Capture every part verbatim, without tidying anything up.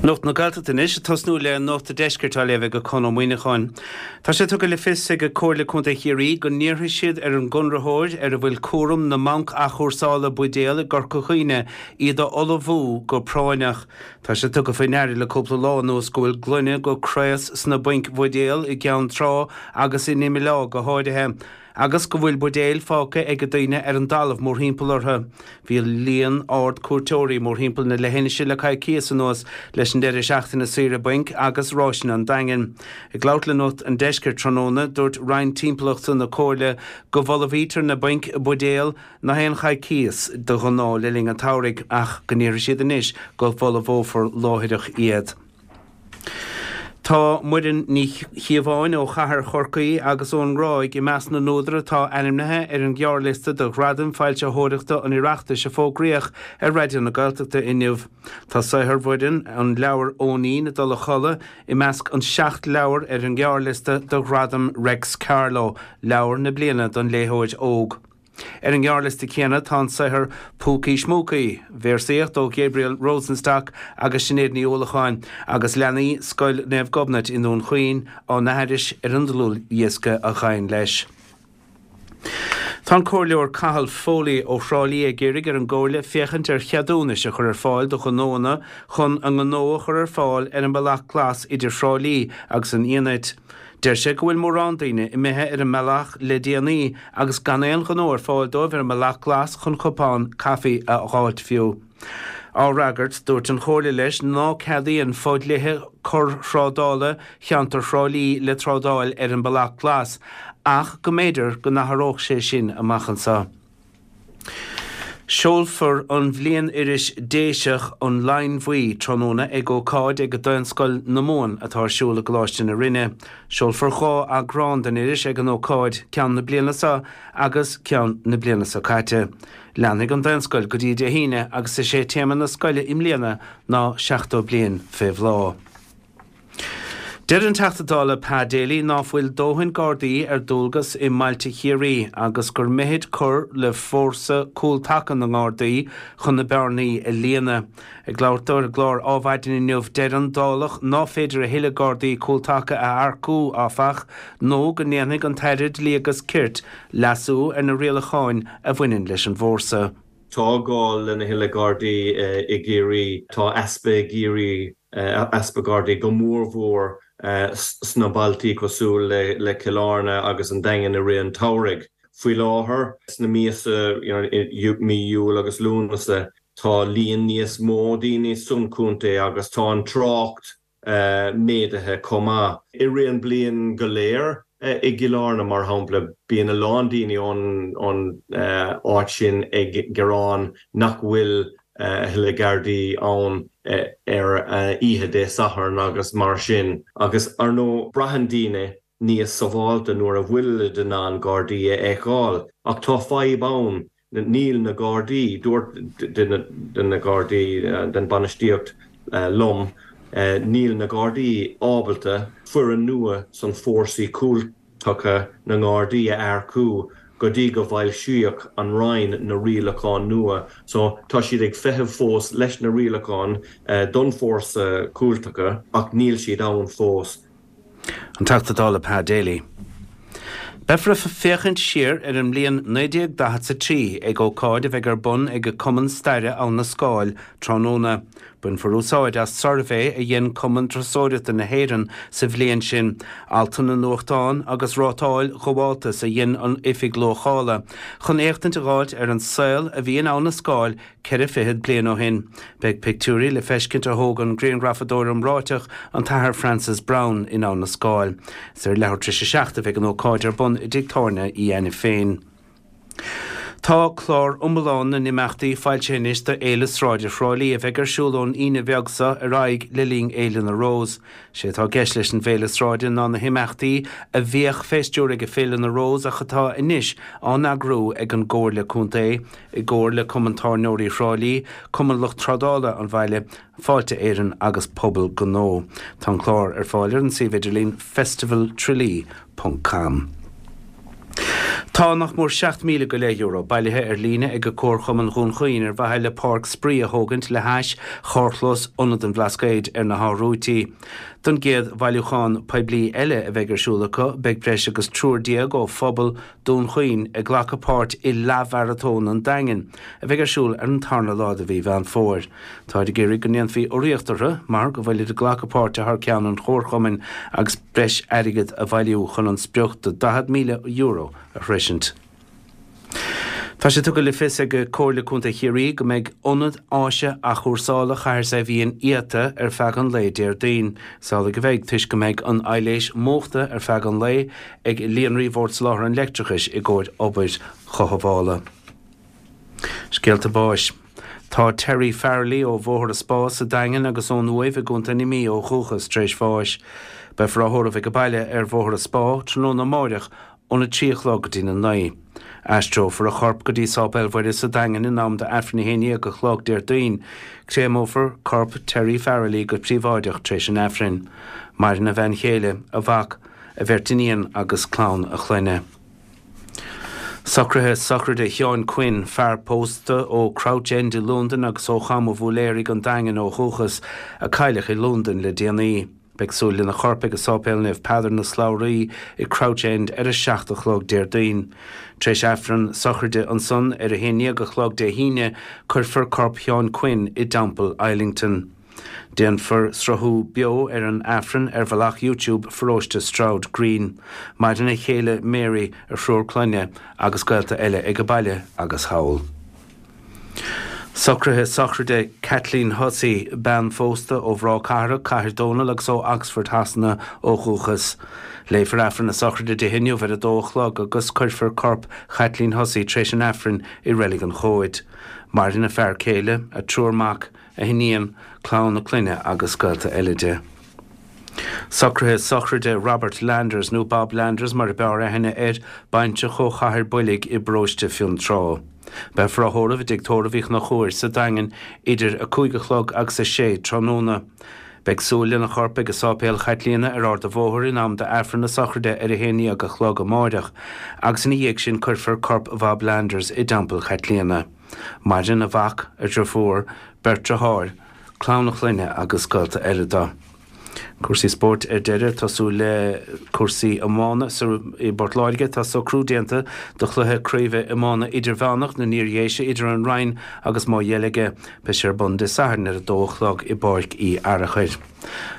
Nuacht na Gaeltachta anois, ag tosnú le Nuacht an Deiscirt á léamh ag Conn Ó Muíneacháin. Tá sé tugtha le fios ag Comhairle Contae Chiarraí go n-iarrfaidh siad ar an gconraitheoir ar a bhfuil cúram na mbanc athchúrsála buidéal i gCorca Dhuibhne iad a fholmhú go práinneach. Tá sé tugtha faoi ndeara le cúpla lá anuas go bhfuil gloine go craos sna bainc bhuidéal i gCeann Trá agus in Imill go háirithe. agus go bhfuil buidéil fágtha ag daoine ar an dtalamh mórthimpeall orthu. Bhí líon ard cuairteoirí mórthimpeall na leithinise le coicíos anuas leis an deireadh seachtaine saoire bainc agus ráiseanna an Daingin. Ag labhairt le Nuacht an Deiscirt tráthnóna dúirt Roinn Timpeallachta na Comhairle go bhfolmhaítear na bainc buidéal gach aon choicíos de ghnáth le linn an tsamhraidh ach go n-iarrfaidh siad anois go bhfolmhófar láithreach iad. Tá Muireann Ní Chíobháin ó chathair Chorcaí agus ón nGráig i measc na n-údar atá ainmnithe ar an ghearrliosta do Ghradaim Foilsitheoireachta an Oireachtais a fógraíodh ar Raidió na Gaeltachta inniu. Tá saothar Mhuireann an leabhar Eoinín ag dul a chodladh i measc an seacht leabhar ar an ghearrliosta do Ghradam Reics Carló, leabhar na bliana don léitheoir óg. Ar an ngearrliosta céanna tá an saothar Púcaí Smúcaí, véarsaíocht ó Gabriel Rosenstock agus Sinéad Ní Uallacháin agus leanaí Scoil Naomh Gobnait i nDún Chaoin á n-aithris ar an dlúthdhiosca a ghabhann leis. Tá an Comhairleoir Cathal Foley ó Thrá Lí ag iarraidh ar an gComhairle féachaint ar cheadúnais a chur ar fáil do ghnóanna chun a ngnó a chur ar fáil ar an mbealach glas idir Thrá Lí agus an Fhianait. Deir sé go bhfuil mórán daoine imithe ar an mbealach le déanaí agus gan aon ghnó ar fáil dóibh ar an mbealach glas chun cupán caife a fháilt fiú. Á fhreagairt dúirt an chomhairle leis ná ceadaíonn fodhlíthe corrthrádála cheantar Thrá Lí le trádáil ar an mbealach glas ach go mb'fhéidir go n-athródh sé sin amach anseo. Seolfar an bhliain-iris Déiseach an Line Bhuí tráthnóna ag ócáid ag Daonscoil na Mumhan atá ar siúl i gColáiste na Rinne. Seolfar dhá eagrán den iris ag an ócáid ceann na bliana seo agus ceann na bliana seo caite. Leanfaidh an Daonscoil go dtí Dé hAoine agus is é téama na scoile i mbliana ná seachtó bliain fé bhláth. Deir an Teachta Dála Pa Daly ná fuil dóthain Gardaí ar dualgas i mbailte Chiarraí agus gur mithid cur le fórsa cúltaca na nGardaí chun na bearnaí a líonadh. Ag labhairt dó ar an gclár Adhmhaidin inniu deir an Dálach ná féidir a thuilleadh Gardaí cúltaca a earcú áfach nó go ndéanfaidh an tAire Dlí agus Cirt leasú ar na rialacháin a bhaineann leis an bhfórsa. Tá gá lena thuilleadh Gardaí i gCiarraí, tá easpa i gCiarraí easpa Gardaí go mórmhór sna bailtí cosúil le le Cill Airne agus an Daingean i rith an tsamhraidh. Faoi láthair sna míosa mí Iúil agus Lúnasa tá líon níos mó daoine san chontae agus tá an trácht méadaithe chomh maith. I rith an bliain go léir i gCill Airne mar shampla bíonn a lán daoine ón ón áit sin ag gearán nach bhfuil a thuilleadh Gardaí ann ar oíche Dé Sathairn agus mar sin agus ar ndóigh braitheann daoine níos sábháilte nuair a bhfuil in ann Gardaí a fheiceáil ach tá fadhb ann níl na Gardaí dúirt de na Gardaí den bainistíocht liom níl na Gardaí ábalta foireann nua san fórsaí cúltaca na nGardaí a earcú go dtí go bhfoilsíodh an Roinn na rialacháin nua so tá siad ag feitheamh fós leis na rialacháin don fórsa cúltaca ach níl siad ann fós. An Teachta Dála Pa Daly. Beifear ag féachaint siar ar an mbliain naoi déag daichead a trí ag ócáid a bheidh ar bun ag Cumann Staire Abhainn na Scáil tráthnóna. Bainfear úsáid as suirbhé a dhein Cumann Turasóireachta na hÉireann sa bhliain sin, altanna nuachtáin agus rátáil ghabháltas a dhein an Oifig Luachála, chun éachtaint a fháilt ar an saol a bhí in Abhainn na Scáil ceithre fichead bliain ó shin. Beidh pictiúirí le feiscint a thóg an grianghrafadóir iomráiteach an tAthair Francis Browne in Abhainn na Scáil. Is ar leathuair tar éis a seacht a bheidh an ócáid ar bun i dtigh tábhairne Uí Ainiféin. Tá clár iomlán na n-imeachtaí foilsithe anois do Fhéile Sráide Thrá Lí a bheidh ar siúl ón Aoine bheag seo ar aghaidh le linn Fhéile na Rós. Sé atá i gceist leis an bhFéile Sráide ná na himeachtaí a bhíodh fé stiúir ag Féile na Rós ach atá anois á n-eagrú ag an gComhairle Contae i gcomhar le Cumann Tábhairneoirí Thrá Lí, Cumann Lucht Trádála an Bhaile, Fáilte Éireann agus Pobal Gnó. Tá an clár ar fáil ar an suíomh idirlín festivaltralee ponc com. Tá nach mór seacht míle go leith euro bailithe ar líne ag Comharchumann Dhún Chaoin ar mhaithe le páirc spraoi a thógaint le hais charrchlós Ionad an Bhlascaoid ar na hAth Rúití. Don gcéad bhailiúchán poiblí eile a bheidh ar siúl acu, beidh breis agus triúr déag ó phobal Dhún Chaoin ag glacadh páirt i Leathmharatón an Daingin, a bheidh ar siúl ar an tarna lá de mhí Mheán Fómhair. Táid ag iarraidh go ndéanfaí urraíocht orthu mar go bhfuilid ag glacadh páirte thar ceann an chomharchumainn agus breis airgid a bhailiú chun an sprioc de daichead míle euro a shroisint. Tá sé tugtha le fios ag Comhairle Contae Chiarraí go mbeidh Ionad Áise Athchúrsála Chathair Saidhbhín iata ar feadh an lae Déardaoin. Is amhlaidh a bheidh toisc go mbeidh an aibhléis múchta ar feadh an lae ag Líonraí Bhord Soláthair an Leictreachais i gcomhair obair chothabhála. Scéalta báis. Tá Terry Farrelly ó Bhóthar an Spá sa Daingean agus ón Uaimh i gContae na Mí ó dhúchas tar éis bháis. Beifear á thórramh ag baile ar Bhóthar an Spá tráthnóna amáireach óna trí a chlog go dtí na naoi. Aistreofar a chorp go dtí Sáipéal Mhuire sa Daingean in am d'Aifreann a haon déag a chlog Déardaoin. Créamófar corp Terry Farrelly go príobháideach tar éis an Aifrinn. Maireann a bhean chéile, a mhac, a bheirt iníon agus clann a chlainne. Socruithe sochraide Sheáin Quinn, fear pósta ó Crouch End i Londain agus ó Cham an Bhúiléaraigh an Daingean ó dhúchas, a cailleadh i Londain le déanaí. Beidh súil lena chorp ag Sáipéal Naomh Peadar na Slabhraí i Crouch End ar a seacht a chlog Déardaoin. Tar éis Aifreann sochraide ansan ar a haon déag a chlog Dé hAoine, cuirfear corp Sheáin Quinn i dTeampall Islington. Déanfar sruthú beo ar an Aifreann ar bhealach YouTube Pharóiste Stroud Green. Maireann a chéile Mary, a thriúr clainne agus gaolta eile ag baile agus thall. Socruithe sochraide Kathleen Hussey, bean phósta ó Bhráth Cathrach, Cathair Dónall agus ó Oxford Shasana ó dhúchas. Léifear Aifreann na sochraide di inniu ar a dó a chlog agus cuirfear corp Kathleen Hussey tar éis an Aifrinn i Reilig an Chóid. Maireann a fear céile, a triúr mac, a hiníon, clann na clainne agus gaolta eile di. Socruithe sochraide Robert Landers nó Bob Landers mar ab fhearr aithne air, baintreach ó Chathair Boilg i bparóiste Fionntrá. Beifear á thórramh i dtigh tórraimh Uí Chonchúir sa Daingean idir a cúig a chlog agus a sé tráthnóna. Beidh súil lena chorp ag Sáipéal Chaitlíona ar Ard an Bhóthair in am d'Aifreann na sochraide ar a haon déag a chlog amáireach, agus ina dhiaidh sin cuirfear corp Bhob Landers i dTeampall Chaitlíona. Maireann a mhac, a dheirfiúr, beirt deartháir, clann a chlainne agus gaolta eile dó. Cúrsaí spóirt ar deireadh, tosú le cúrsaí iomána i bPort Láirge. Tá socrú déanta do chluiche craoibhe iomána idirmheánach na nIardhéise idir an Rinn agus Maigh Dheilge. Beidh sé ar bun Dé Sathairn ar a dó a chlog i bPáirc Uí Fhearachair.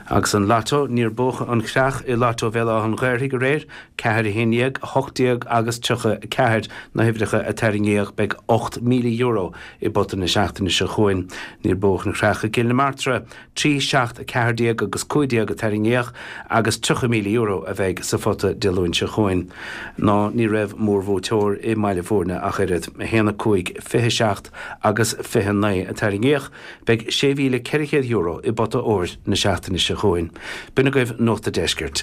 Agus an Lotto, níor buadh an chreach i Lotto Bhéal Átha an Ghaorthaidh aréir, ceathair a haon déag, a hocht déag agus tríocha a ceathair na huimhreacha a tarraingíodh. Beidh ocht míle euro i bpota na seachtaine seo chugainn. Níor buadh an chreach i gCill na Martra, trí, seacht, a ceathair déag agus cúig déag a tarraingíodh agus tríocha míle euro a bheidh sa phota Dé Luain seo chugainn. Ná ní raibh mórbhuaiteoir i mBaile Bhúirne ach oiread, a haon, a cúig, fiche seacht agus fiche naoi a tarraingíodh. Beidh sé mhíle ceithre chéad euro i bpota óir na seachtaine seo chugainn. B'in agaibh Nuacht an Deiscirt.